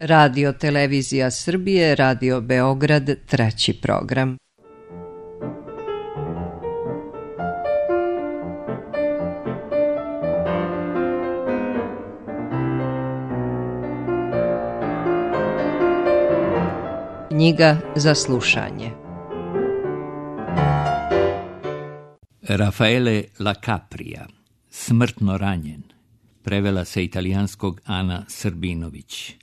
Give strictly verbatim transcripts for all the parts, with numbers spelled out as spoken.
Radio Televizija Srbije, Radio Beograd, treći program. Knjiga za slušanje. Raffaele La Capria, Smrtno ranjen. Prevela sa italijanskog Ana Srbinović.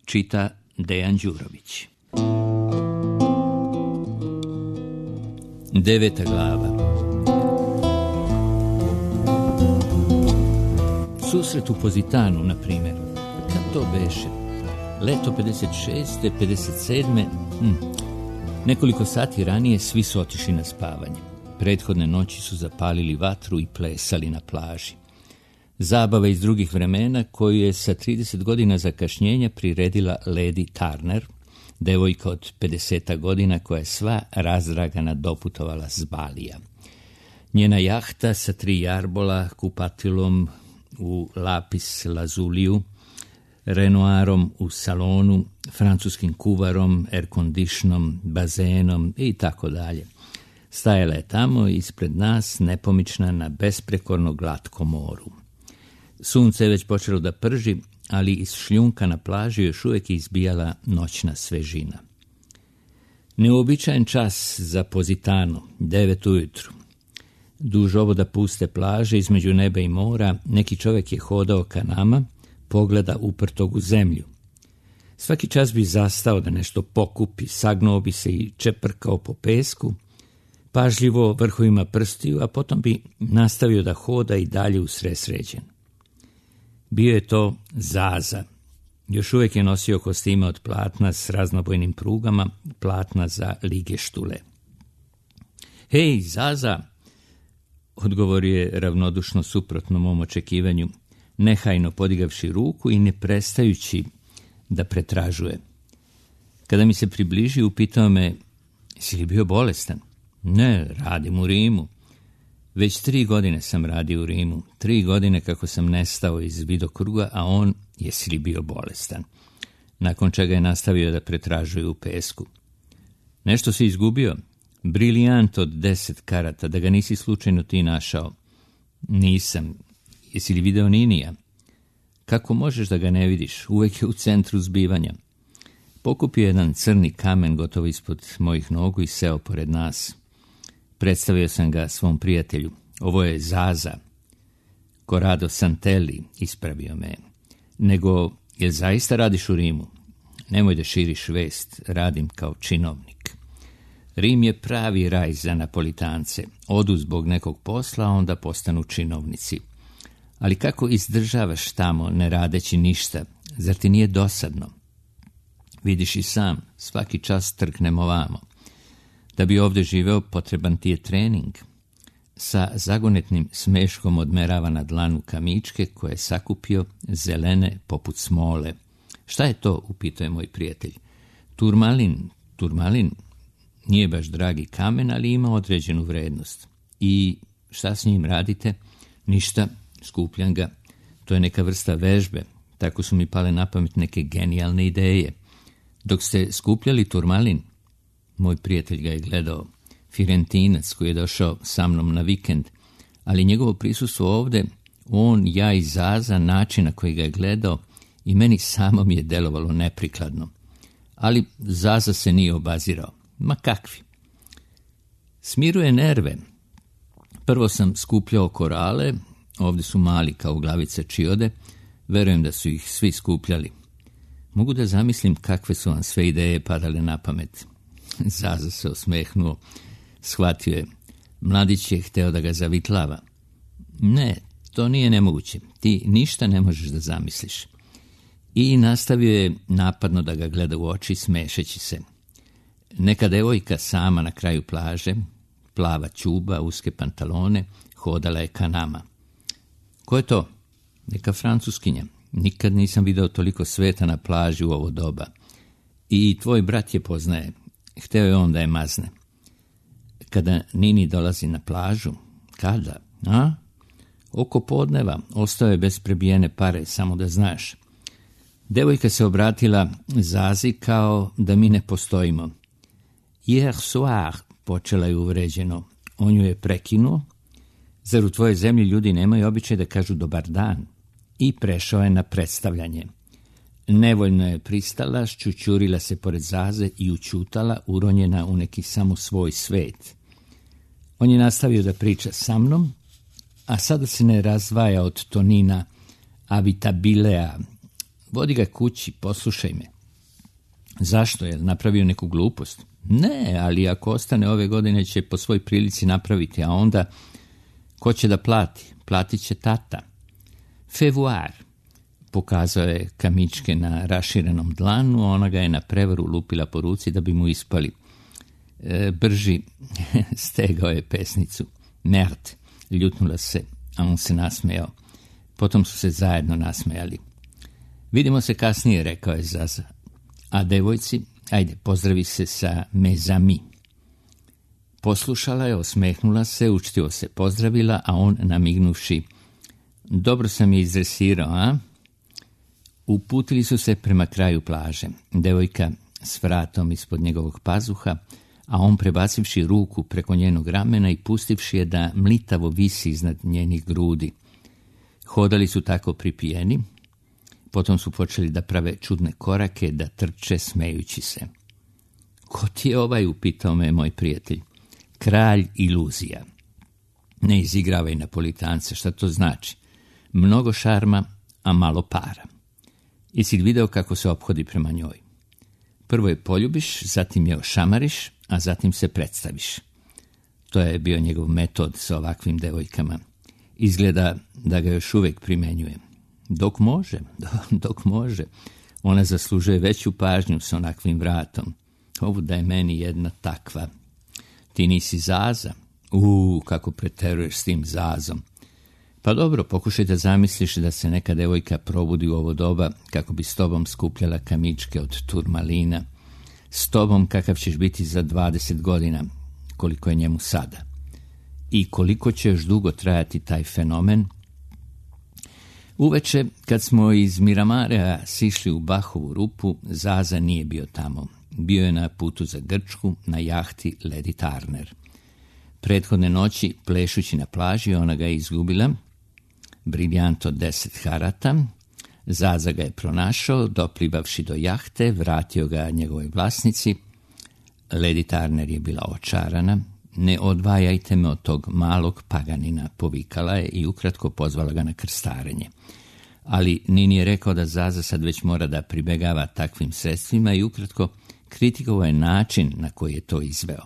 Čita Dejan Đurović. Deveta glava. Susret u Pozitanu, na primjer. Kad to beše? Leto pedeset šeste, pedeset sedme Hm. Nekoliko sati ranije svi su otišli na spavanje. Prethodne noći su zapalili vatru i plesali na plaži. Zabava iz drugih vremena koju je sa trideset godina zakašnjenja priredila Lady Turner, devojka od pedeset godina koja je sva razdragana doputovala s Balija. Njena jahta sa tri jarbola, kupatilom u lapis lazuliju, renoirom u salonu, francuskim kuvarom, air-conditionom, bazenom i tako dalje. Stajala je tamo ispred nas, nepomična na besprekorno glatkom moru. Sunce je već počelo da prži, ali iz šljunka na plaži još uvijek izbijala noćna svežina. Neuobičajen čas za Pozitano, devet ujutru. Duž oboda puste plaže, između neba i mora, neki čovjek je hodao ka nama, pogleda uprtog u zemlju. Svaki čas bi zastao da nešto pokupi, sagnuo bi se i čeprkao po pesku, pažljivo vrhovima prstiju, a potom bi nastavio da hoda i dalje usresređen. Bio je to Zaza. Još uvijek je nosio kostime od platna s raznobojnim prugama, platna za ligeštule. Hej, Zaza, odgovorio je ravnodušno suprotno mom očekivanju, nehajno podigavši ruku i ne prestajući da pretražuje. Kada mi se približi, upitao me, si li bio bolestan? Ne, radim u Rimu. Već tri godine sam radio u Rimu, tri godine kako sam nestao iz vidokruga, a on jesi li bio bolestan. Nakon čega je nastavio da pretražuje u pesku. Nešto si izgubio? Brilijant od deset karata, da ga nisi slučajno ti našao. Nisam. Jesi li video Ninija? Kako možeš da ga ne vidiš? Uvijek je u centru zbivanja. Pokupio jedan crni kamen gotovo ispod mojih nogu i seo pored nas. Predstavio sam ga svom prijatelju. Ovo je Zaza. Corrado Santelli, ispravio me. Nego, jel zaista radiš u Rimu? Nemoj da širiš vest, radim kao činovnik. Rim je pravi raj za Napolitance. Odu zbog nekog posla, a onda postanu činovnici. Ali kako izdržavaš tamo, ne radeći ništa? Zar ti nije dosadno? Vidiš i sam, svaki čas trknemo ovamo. Da bi ovdje živeo, potreban ti je trening. Sa zagonetnim smeškom odmerava na dlanu kamičke koje je sakupio, zelene poput smole. Šta je to, upitao je moj prijatelj. Turmalin, turmalin, nije baš dragi kamen, ali ima određenu vrednost. I šta s njim radite? Ništa, skupljam ga. To je neka vrsta vežbe. Tako su mi pale na pamet neke genijalne ideje. Dok ste skupljali turmalin, moj prijatelj ga je gledao, Firentinac koji je došao sa mnom na vikend, ali njegovo prisustvo ovdje, on, ja i Zaza, način na koji ga je gledao, i meni samo mi je delovalo neprikladno. Ali Zaza se nije obazirao. Ma kakvi. Smiruje nerve. Prvo sam skupljao korale, ovdje su mali kao glavice čiode, verujem da su ih svi skupljali. Mogu da zamislim kakve su vam sve ideje padale na pamet. Zaza se osmehnuo, shvatio je. Mladić je hteo da ga zavitlava. Ne, to nije nemoguće. Ti ništa ne možeš da zamisliš. I nastavio je napadno da ga gleda u oči, smešeći se. Neka devojka sama na kraju plaže, plava ćuba, uske pantalone, hodala je ka nama. Ko je to? Neka Francuskinja. Nikad nisam video toliko sveta na plaži u ovo doba. I tvoj brat je poznaje. Hteo je on da je mazne. Kada Nini dolazi na plažu, kada? A? Oko podneva, ostao je bez prebijene pare, samo da znaš. Devojka se obratila Zazi kao da mi ne postojimo. Hier soir, počela je uvređeno. On ju je prekinuo. Zar u tvojoj zemlji ljudi nemaju običaj da kažu dobar dan? I prešao je na predstavljanje. Nevoljno je pristala, šćućurila se pored Zaze i ućutala, uronjena u neki samo svoj svet. On je nastavio da priča sa mnom, a sada se ne razdvaja od tonina Avitabilea. Vodi ga kući, poslušaj me. Zašto? Je napravio neku glupost? Ne, ali ako ostane ove godine će po svoj prilici napraviti, a onda ko će da plati? Platit će tata. Fevouar. Pokazao je kamičke na raširenom dlanu, ona ga je na prevaru lupila po ruci da bi mu ispali. E, brži, stegao je pesnicu. Merd, ljutnula se, a on se nasmejao. Potom su se zajedno nasmejali. Vidimo se kasnije, rekao je Zaza. A devojci, ajde, pozdravi se sa mezami. Poslušala je, osmehnula se, učtivo se pozdravila, a on namignuši. Dobro sam je izresirao, a? Uputili su se prema kraju plaže. Devojka s vratom ispod njegovog pazuha, a on prebacivši ruku preko njenog ramena i pustivši je da mlitavo visi iznad njenih grudi. Hodali su tako pripijeni, potom su počeli da prave čudne korake, da trče smejući se. Ko ti je ovaj, upitao me moj prijatelj. Kralj iluzija. Ne izigravaj Napolitance, šta to znači? Mnogo šarma, a malo para. Jesi li video kako se ophodi prema njoj? Prvo je poljubiš, zatim je ošamariš, a zatim se predstaviš. To je bio njegov metod sa ovakvim devojkama. Izgleda da ga još uvijek primenjuje. Dok može, dok može. Ona zaslužuje veću pažnju sa onakvim vratom. Ovo da je meni jedna takva. Ti nisi Zaza? Uuu, kako preteruješ s tim Zazom. Pa dobro, pokušaj da zamisliš da se neka devojka probudi u ovo doba kako bi s tobom skupljala kamičke od turmalina. S tobom kakav ćeš biti za dvadeset godina, koliko je njemu sada. I koliko će još dugo trajati taj fenomen? Uveče, kad smo iz Miramarea sišli u Bahovu rupu, Zaza nije bio tamo. Bio je na putu za Grčku, na jahti Lady Turner. Prethodne noći, plešući na plaži, ona ga je izgubila. Briljanto deset harata. Zaza ga je pronašao, doplivavši do jahte, vratio ga njegovoj vlasnici. Lady Turner je bila očarana. Ne odvajajte me od tog malog paganina, povikala je i ukratko pozvala ga na krstarenje. Ali Nini je rekao da Zaza sad već mora da pribegava takvim sredstvima i ukratko kritikovao je način na koji je to izveo.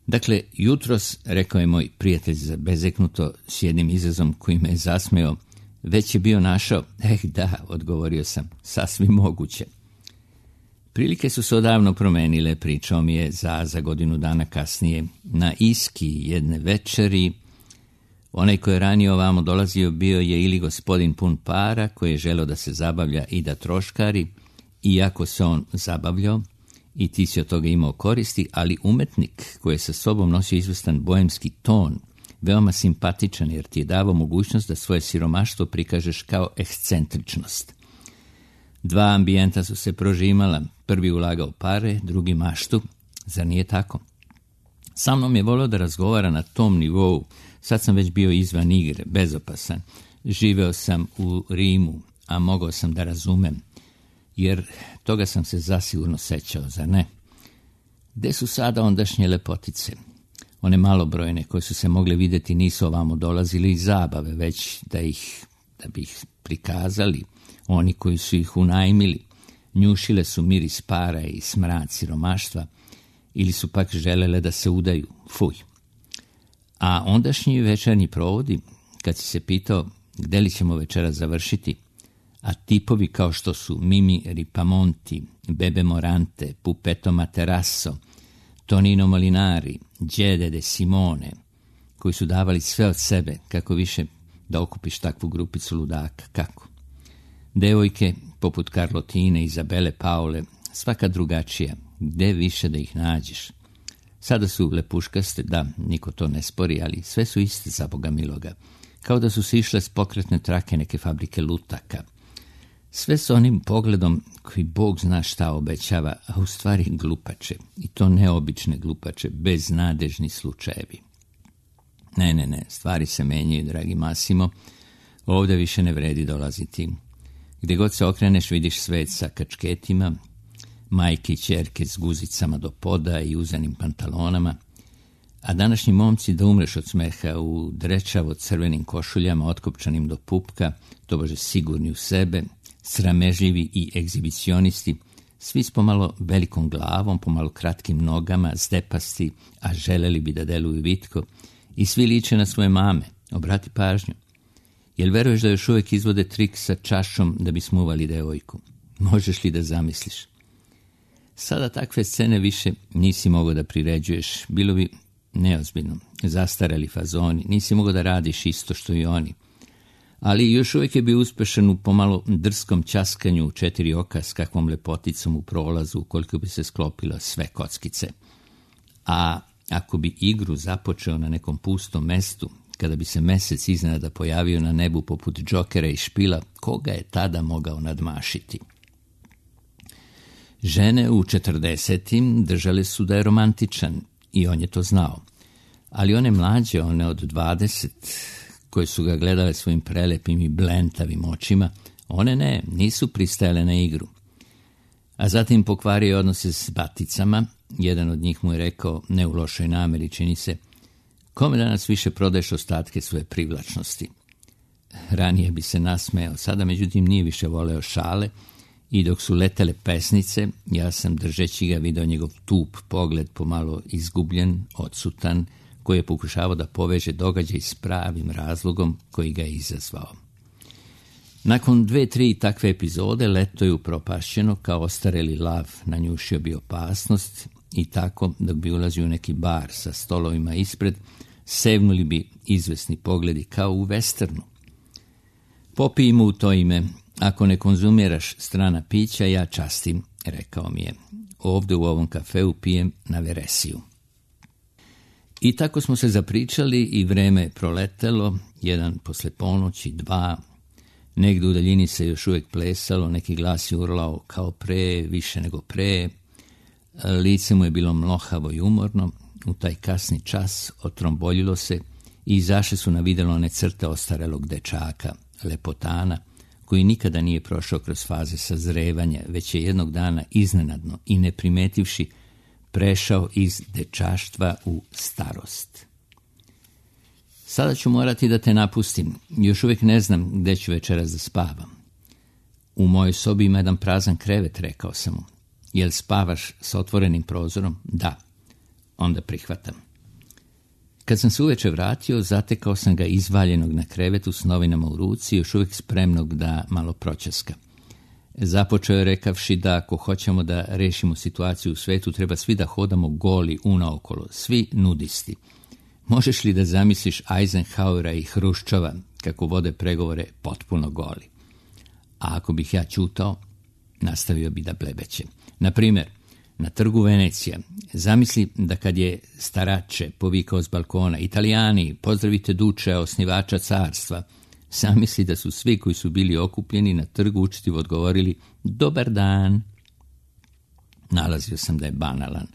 Dakle, jutros, rekao je moj prijatelj bezeknuto s jednim izrazom koji me je zasmeo, već je bio našao. Eh da, odgovorio sam, sasvim moguće. Prilike su se odavno promenile, pričao mi je Zaza godinu dana kasnije. Na Iski jedne večeri, onaj koji je ranije ovamo dolazio bio je ili gospodin pun para, koji je želeo da se zabavlja i da troškari, iako se on zabavljao, i ti si od toga imao koristi, ali umetnik koji je sa sobom nosio izvestan boemski ton, veoma simpatičan jer ti je davao mogućnost da svoje siromaštvo prikažeš kao ekscentričnost. Dva ambijenta su se prožimala, prvi ulagao pare, drugi maštu, zar nije tako? Sa mnom je volio da razgovara na tom nivou, sad sam već bio izvan igre, bezopasan, živeo sam u Rimu, a mogao sam da razumem, jer toga sam se zasigurno sećao, zar ne? Gde su sada ondašnje lepotice? One malobrojne koje su se mogle vidjeti nisu ovamo dolazili iz zabave, već da ih, da bi ih prikazali, oni koji su ih unajmili, njušile su miris para i smrad siromaštva, ili su pak želele da se udaju, fuj. A ondašnji večernji provodi, kad si se pitao gde li ćemo večera završiti, a tipovi kao što su Mimi Ripamonti, Bebe Morante, Pupeto Materasso, Tonino Molinari, Đede de Simone, koji su davali sve od sebe, kako više da okupiš takvu grupicu ludaka, kako? Devojke, poput Carlotine, Izabele, Paule, svaka drugačija, gde više da ih nađeš? Sada su lepuškaste, da, niko to ne spori, ali sve su iste za Boga miloga, kao da su se išle s pokretne trake neke fabrike lutaka. Sve s onim pogledom koji Bog zna šta obećava, a u stvari glupače, i to neobične glupače, beznadežni slučajevi. Ne, ne, ne, stvari se menjaju, dragi Masimo, ovdje više ne vredi dolaziti. Gdje god se okreneš vidiš svet sa kačketima, majke i ćerke s guzicama do poda i uzanim pantalonama, a današnji momci da umreš od smeha u drečavo crvenim košuljama otkopčanim do pupka, tobože sigurni u sebe, sramežljivi i egzibicionisti, svi s pomalo velikom glavom, pomalo kratkim nogama, zdepasti, a želeli bi da deluju vitko, i svi liče na svoje mame. Obrati pažnju. Jel veruješ da još uvijek izvode trik sa čašom da bi smuvali devojku? Možeš li da zamisliš? Sada takve scene više nisi mogao da priređuješ, bilo bi neozbiljno, zastarali fazoni, nisi mogao da radiš isto što i oni. Ali još uvijek je bio uspešan u pomalo drskom ćaskanju u četiri oka s kakvom lepoticom u prolazu koliko bi se sklopilo sve kockice. A ako bi igru započeo na nekom pustom mestu, kada bi se mesec iznenada pojavio na nebu poput džokera i špila, koga je tada mogao nadmašiti? Žene u četrdesetim držale su da je romantičan i on je to znao. Ali one mlađe, one od dvadeset, koje su ga gledale svojim prelepim i blentavim očima, one ne, nisu pristajale na igru. A zatim pokvario odnose s baticama. Jedan od njih mu je rekao, ne u lošoj nameri, čini se, kome danas više prodaješ ostatke svoje privlačnosti? Ranije bi se nasmejao, sada međutim nije više voleo šale i dok su letele pesnice, ja sam držeći ga video njegov tup pogled pomalo izgubljen, odsutan, koji je pokušavao da poveže događaj s pravim razlogom koji ga je izazvao. Nakon dve, tri takve epizode, leto je upropašćeno, kao ostareli lav nanjušio bi opasnost i tako, dok bi ulazio u neki bar sa stolovima ispred, sevnuli bi izvesni pogledi kao u westernu. Popij mu u to ime, ako ne konzumiraš strana pića, ja častim, rekao mi je. Ovdje u ovom kafeu pijem na veresiju. I tako smo se zapričali i vreme je proletelo, jedan posle ponoći, dva. Negdje u daljini se još uvijek plesalo, neki glas je urlao kao pre, više nego pre. Lice mu je bilo mlohavo i umorno, u taj kasni čas otromboljilo se i izašle su na videlo one crte ostarelog dečaka, lepotana, koji nikada nije prošao kroz faze sazrevanja, već je jednog dana iznenadno i ne primetivši prešao iz dečaštva u starost. Sada ću morati da te napustim. Još uvijek ne znam gde ću večeras da spavam. U mojoj sobi ima jedan prazan krevet, rekao sam mu. Jel spavaš s otvorenim prozorom? Da. Onda prihvatam. Kad sam se uveče vratio, zatekao sam ga izvaljenog na krevetu s novinama u ruci, još uvijek spremnog da malo proćaska. Započeo je rekavši da ako hoćemo da rešimo situaciju u svetu, treba svi da hodamo goli unaokolo, svi nudisti. Možeš li da zamisliš Eisenhowera i Hruščova kako vode pregovore potpuno goli? A ako bih ja ćutao, nastavio bi da blebeće. Na primjer, na trgu Venecija, zamisli da kad je starače povikao s balkona, Italijani, pozdravite duče, osnivača carstva, zamisli da su svi koji su bili okupljeni na trgu učtivo odgovorili dobar dan. Nalazio sam da je banalan.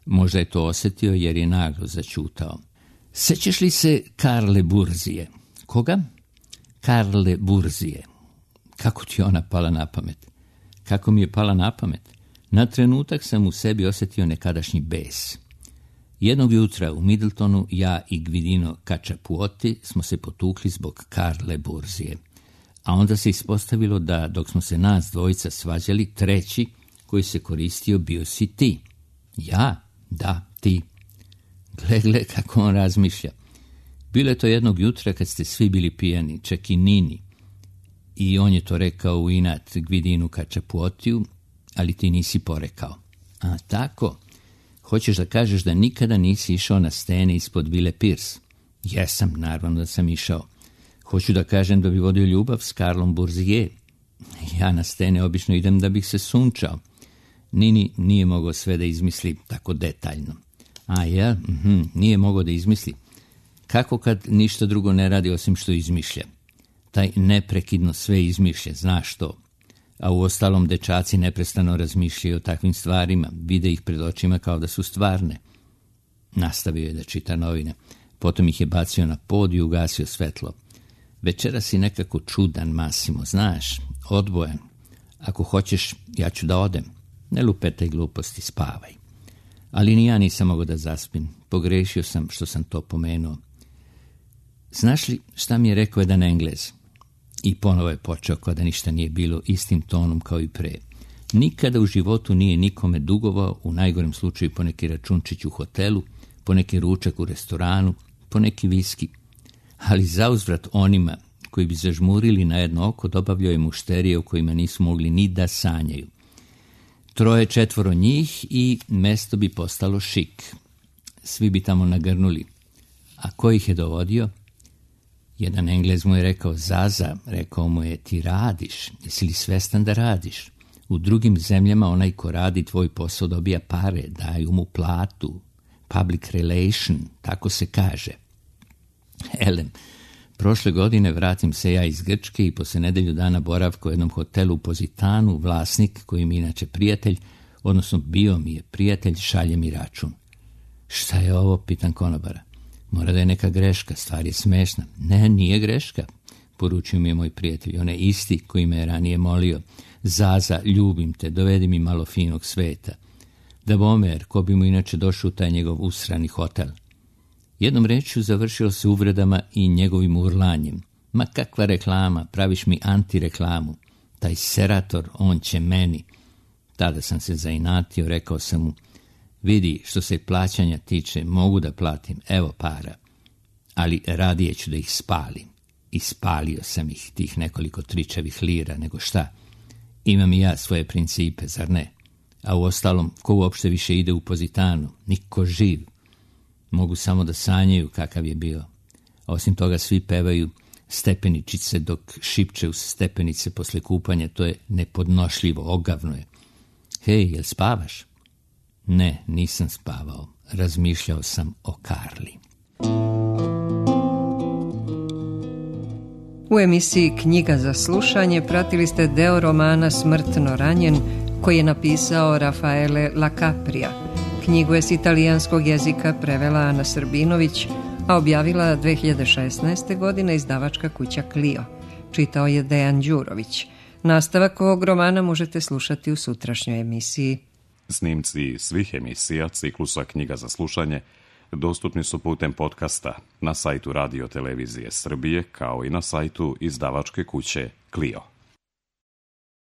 Možda je to osjetio jer je naglo začutao. Sećaš li se Karle Burzije? Koga? Karle Burzije. Kako ti je ona pala na pamet? Kako mi je pala na pamet? Na trenutak sam u sebi osjetio nekadašnji bes. Jednog jutra u Middletonu ja i Gvidino Kačapuoti smo se potukli zbog Karle Burzije. A onda se ispostavilo da dok smo se nas dvojica svađali, treći koji se koristio bio si ti. Ja? Da, ti. Gle, gle kako on razmišlja. Bilo je to jednog jutra kad ste svi bili pijani, čak i Nini. I on je to rekao u inat Gvidinu Kačapuotiju, ali ti nisi porekao. A tako? Hoćeš da kažeš da nikada nisi išao na stene ispod Vile Pierce? Jesam, naravno da sam išao. Hoću da kažem da bi vodio ljubav s Karlom Burzije. Ja na stene obično idem da bih se sunčao. Nini nije mogao sve da izmisli tako detaljno. A ja, mhm, nije mogao da izmisli. Kako kad ništa drugo ne radi osim što izmišlja? Taj neprekidno sve izmišlja, znaš to. A u ostalom dečaci neprestano razmišljaju o takvim stvarima, vide ih pred očima kao da su stvarne. Nastavio je da čita novine, potom ih je bacio na pod i ugasio svetlo. Večera si nekako čudan, Masimo, znaš, odbojan. Ako hoćeš, ja ću da odem. Ne lupetaj gluposti, spavaj. Ali ni ja nisam mogao da zaspim. Pogrešio sam što sam to pomenuo. Znaš li šta mi je rekao jedan Englez? I ponovo je počeo kao da ništa nije bilo, istim tonom kao i pre. Nikada u životu nije nikome dugovao, u najgorem slučaju po neki računčić u hotelu, po neki ručak u restoranu, po neki viski. Ali zauzvrat onima koji bi zažmurili na jedno oko dobavljao je mušterije u kojima nisu mogli ni da sanjaju. Troje, četvoro njih i mesto bi postalo šik. Svi bi tamo nagrnuli. A ko ih je dovodio? Jedan Englez mu je rekao, Zaza, rekao mu je, ti radiš, jesi li svestan da radiš? U drugim zemljama onaj ko radi tvoj posao dobija pare, daju mu platu, public relation, tako se kaže. Elem, prošle godine vratim se ja iz Grčke i posle nedelju dana boravka u jednom hotelu u Pozitanu, vlasnik, koji mi inače prijatelj, odnosno bio mi je prijatelj, šalje mi račun. Šta je ovo, pitan konobara. Mora da je neka greška, stvar je smešna. Ne, nije greška, poručio mi je moj prijatelj, on je isti koji me je ranije molio. Zaza, ljubim te, dovedi mi malo finog sveta. Da bomer, ko bi mu inače došao u taj njegov usrani hotel. Jednom rečju završilo se uvredama i njegovim urlanjem. Ma kakva reklama, praviš mi antireklamu. Taj serator, on će meni. Tada sam se zainatio, rekao sam mu, vidi, što se plaćanja tiče, mogu da platim, evo para, ali radije ću da ih spalim. I spalio sam ih, tih nekoliko tričavih lira, nego šta. Imam i ja svoje principe, zar ne? A u ostalom, ko uopšte više ide u Pozitanu? Niko živ. Mogu samo da sanjaju kakav je bio. A osim toga svi pevaju stepeničice dok šipče uz stepenice posle kupanja, to je nepodnošljivo, ogavno je. Hej, jel spavaš? Ne, nisam spavao. Razmišljao sam o Karli. U emisiji Knjiga za slušanje pratili ste deo romana Smrtno ranjen, koji je napisao Rafaele Lacapria. Knjigu je s italijanskog jezika prevela Ana Srbinović, a objavila dve hiljade šesnaeste. godine izdavačka kuća Clio. Čitao je Dejan Đurović. Nastavak ovog romana možete slušati u sutrašnjoj emisiji. Snimci svih emisija ciklusa Knjiga za slušanje dostupni su putem podcasta na sajtu Radio Televizije Srbije kao i na sajtu izdavačke kuće Clio.